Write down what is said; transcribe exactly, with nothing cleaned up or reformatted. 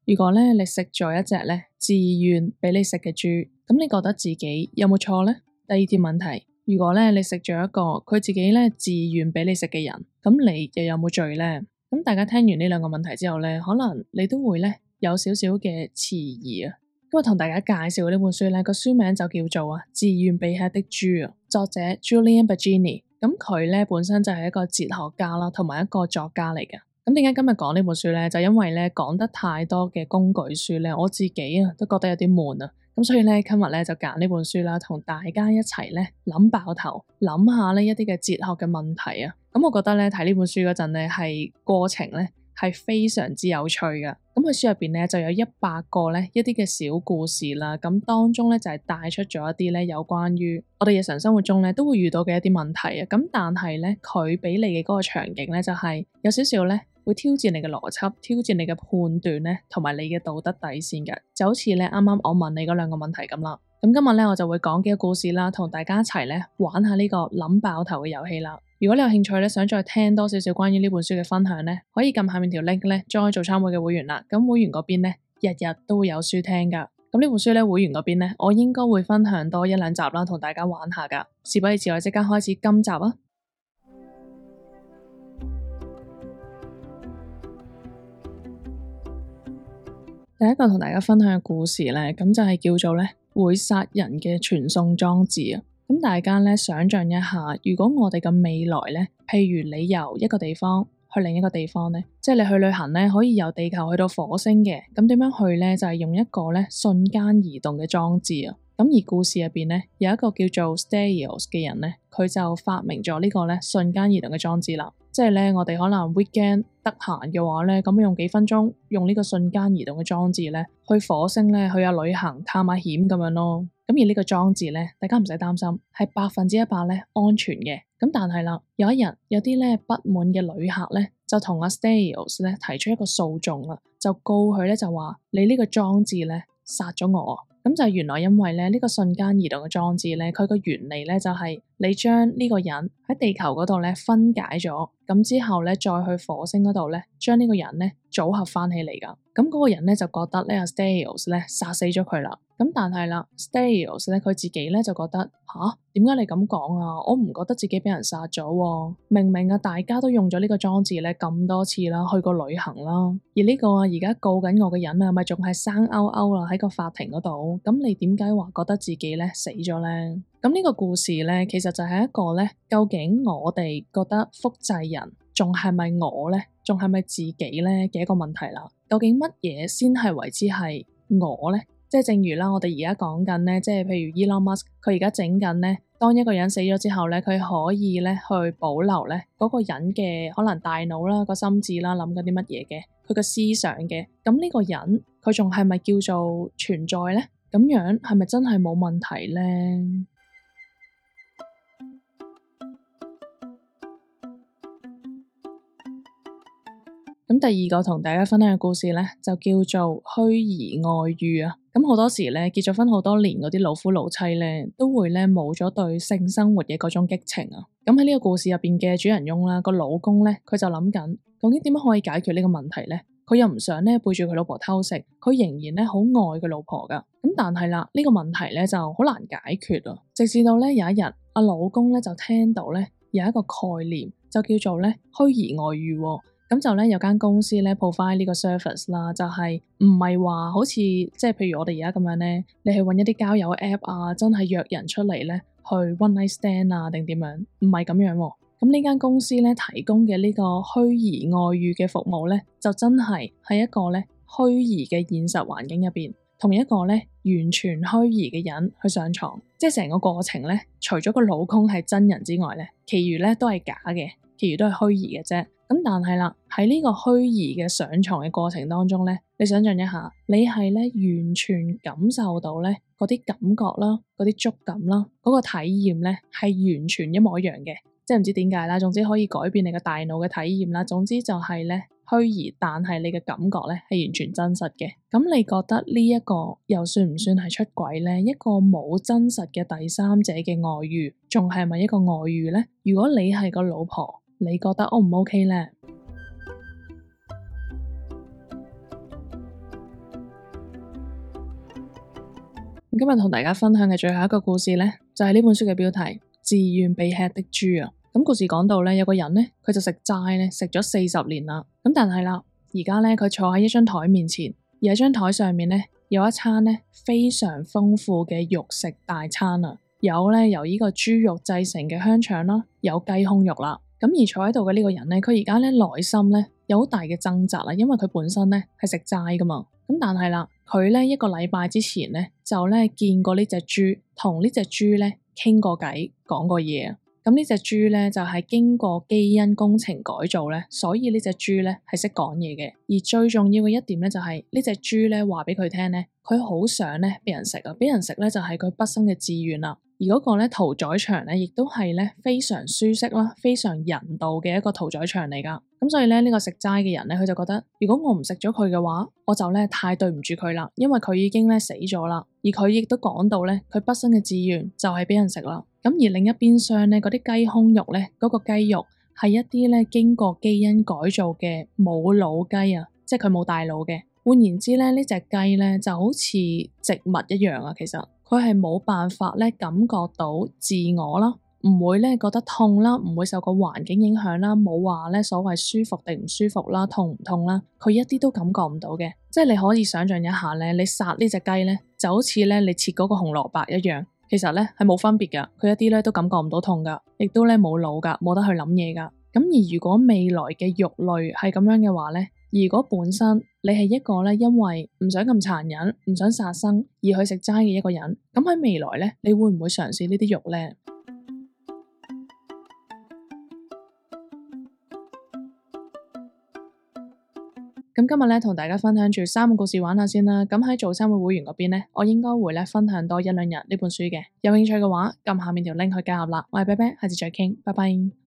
如果咧你食咗一隻咧自願俾你食嘅豬，咁你覺得自己有冇錯呢？第二條問題，如果咧你食咗一個佢自己咧自願俾你食嘅人，咁你又有冇罪呢？咁大家聽完呢兩個問題之後咧，可能你都會咧有少少嘅遲疑啊。咁我同大家介紹呢本書咧，個書名就叫做啊自願被吃的豬啊，作者 Julian Baggini。咁佢咧本身就係一個哲學家啦，同埋一個作家嚟嘅。咁點解今日講呢本書咧？就因為咧講得太多嘅工具書咧，我自己啊都覺得有啲悶啊。咁所以咧今日咧就揀呢本書啦，同大家一齊咧諗爆頭，諗下呢一啲嘅哲學嘅問題啊。咁我覺得咧睇呢本書嗰陣咧係過程咧係非常之有趣噶。咁佢書入邊咧就有一百個咧一啲嘅小故事啦。咁當中咧就係帶出咗一啲咧有關於我哋日常生活中咧都會遇到嘅一啲問題啊。咁但係咧佢俾你嘅嗰個場景咧就係有少少咧會挑戰你嘅邏輯，挑戰你嘅判斷咧，同埋你嘅道德底線嘅，就好似咧啱啱我問你嗰兩個問題咁啦。咁今日咧我就會講幾個故事啦，同大家一齊咧玩下呢個諗爆頭嘅遊戲啦。如果你有興趣咧，想再聽多少少關於呢本書嘅分享咧，可以撳下面條 link 咧，join做參會嘅會員啦。咁會員嗰邊咧，日日都會有書聽噶。咁呢本書咧，會員嗰邊咧，我應該會分享多一兩集啦，同大家玩下噶。事不宜遲，我即刻開始今集啊！第一個同大家分享嘅故事咧，咁就係叫做咧會殺人嘅傳送裝置啊！咁大家咧想象一下，如果我哋嘅未來咧，譬如你由一個地方去另一個地方咧，即係你去旅行咧，可以由地球去到火星嘅，咁點樣去咧？就係用一個咧瞬間移動嘅裝置啊！咁而故事入邊咧有一個叫做 Stelios 嘅人咧，佢就發明咗呢個咧瞬間移動嘅裝置啦。即係咧，我哋可能 weekend 得閒嘅話咧，咁用幾分鐘用呢個瞬間移動嘅裝置咧，去火星咧去下旅行探下險咁樣咯。咁而呢個裝置咧，大家唔使擔心，係百分之一百咧安全嘅。咁但係啦，有一日有啲咧不滿嘅旅客咧，就同阿 Stelios 咧提出一個訴訟啦，就告佢咧就話你呢個裝置咧殺咗我。咁就係原來因為咧呢個瞬間移動嘅裝置咧，佢個原理咧就係你將呢個人喺地球嗰度咧分解咗，咁之後咧再去火星嗰度咧將呢個人咧組合翻起嚟噶。咁嗰個人咧就覺得呢阿 Stelios 咧殺死咗佢啦。咁但係啦 Stelios 咧佢自己咧就覺得吓，點解你咁講啊？我唔覺得自己俾人殺咗喎，明明啊大家都用咗呢個裝置咧咁多次啦，去過旅行啦，而呢個啊而家告緊我嘅人啊，咪仲係生勾勾啦喺個法庭嗰度。咁你點解話覺得自己咧死咗咧？咁呢個故事咧，其實就係一個咧，究竟我哋覺得複製人仲係咪我咧，仲係咪自己咧嘅一個問題啦。究竟乜嘢先係為之係我咧？即係正如啦，我哋而家講緊咧，即係譬如 Elon Musk，佢而家整緊咧，當一個人死咗之後咧，佢可以咧去保留咧嗰個人嘅可能大腦啦、個心智啦、諗緊啲乜嘢嘅，佢個思想嘅。咁呢個人佢仲係咪叫做存在咧？咁樣係咪真係冇問題咧？咁第二個同大家分享嘅故事咧，就叫做虛擬外遇啊！咁好多時咧，結咗婚好多年嗰啲老夫老妻咧，都會咧冇咗對性生活嘅嗰種激情啊！咁喺呢個故事入邊嘅主人翁啦，個老公咧，佢就諗緊究竟點樣可以解決呢個問題咧？佢又唔想咧背住佢老婆偷食，佢仍然咧好愛佢老婆噶。咁但係啦，呢個問題咧就好難解決啊！直至到咧有一日，阿老公咧就聽到咧有一個概念，就叫做咧虛擬外遇喎。咁就咧有間公司咧 provide 呢個 service 啦，就係唔係話好似即係譬如我哋而家咁樣咧，你去搵一啲交友 app 啊，真係約人出嚟咧去 one night stand 啊，定點樣？唔係咁樣喎。咁呢間公司咧提供嘅呢個虛擬外遇嘅服務咧，就真係喺一個咧虛擬嘅現實環境入邊，同一個咧完全虛擬嘅人去上床，即係成個過程咧，除咗個老公係真人之外咧，其餘咧都係假嘅，其餘都係虛擬嘅啫。咁但係啦，喺呢個虛擬嘅上床嘅過程當中咧，你想象一下，你係咧完全感受到咧嗰啲感覺啦，嗰啲觸感啦，嗰個體驗咧係完全一模一樣嘅，即係唔知點解啦，總之可以改變你嘅大腦嘅體驗啦，總之就係咧虛擬，但係你嘅感覺咧係完全真實嘅。咁你覺得呢一個又算唔算係出軌咧？一個冇真實嘅第三者嘅外遇，仲係咪一個外遇咧？如果你係個老婆，你覺得 O 唔 OK 咧？今日同大家分享嘅最後一個故事呢，就係呢本書嘅標題《自願被吃的豬》啊。咁故事講到呢，有個人呢，佢就食齋呢，食咗四十年啦。咁但係啦，而家呢，佢坐喺一張台面前，而喺張台上面呢，有一餐呢非常豐富嘅肉食大餐啊。有呢由呢個豬肉製成嘅香腸啦，有雞胸肉啦。咁而坐喺度嘅呢個人呢，佢而家呢內心呢有好大嘅掙扎啦，因為佢本身呢係食齋噶嘛。咁但係啦，佢呢一個禮拜之前呢，就呢見過呢隻豬，同呢隻豬呢傾過偈，講過嘢啊。咁呢隻豬呢，就係經過基因工程改造呢，所以呢隻豬呢係識講嘢嘅。而最重要嘅一點呢，就係呢隻豬呢話俾佢聽呢，佢好想呢俾人食啊，俾人食呢就係佢畢生嘅志願啦。而嗰個咧屠宰場咧，亦都係咧非常舒適啦、非常人道嘅一個屠宰場嚟噶。咁所以咧，呢個食齋嘅人咧，佢就覺得，如果我唔食咗佢嘅話，我就咧太對唔住佢啦，因為佢已經咧死咗啦。而佢亦都講到咧，佢畢生嘅志願就係俾人食啦。咁而另一邊廂咧，嗰啲雞胸肉咧，嗰個雞肉係一啲咧經過基因改造嘅冇腦雞啊，即係佢冇大腦嘅。換言之咧，呢隻雞咧就好似植物一樣啊，其實佢係冇辦法咧感覺到自我啦，唔會咧覺得痛啦，唔會受個環境影響啦，冇話咧所謂舒服定唔舒服啦，痛唔痛啦，佢一啲都感覺唔到嘅。即係你可以想象一下咧，你殺呢隻雞咧就好似咧你切嗰個紅蘿蔔一樣，其實咧係冇分別噶，佢一啲咧都感覺唔到痛噶，亦都咧冇腦噶，冇得去諗嘢噶。咁而如果未來嘅肉類係咁樣嘅話咧，如果本身你係一個咧因為唔想咁殘忍、唔想殺生而去食齋嘅一個人，咁喺未來咧，你會唔會嘗試呢啲肉咧？咁今日咧同大家分享住三個故事玩下先啦。咁喺早餐會會員嗰邊咧，我應該會咧分享多一兩日呢本書嘅。有興趣嘅話，撳下面條 link 去加入啦。我係啤啤，下次再傾，拜拜。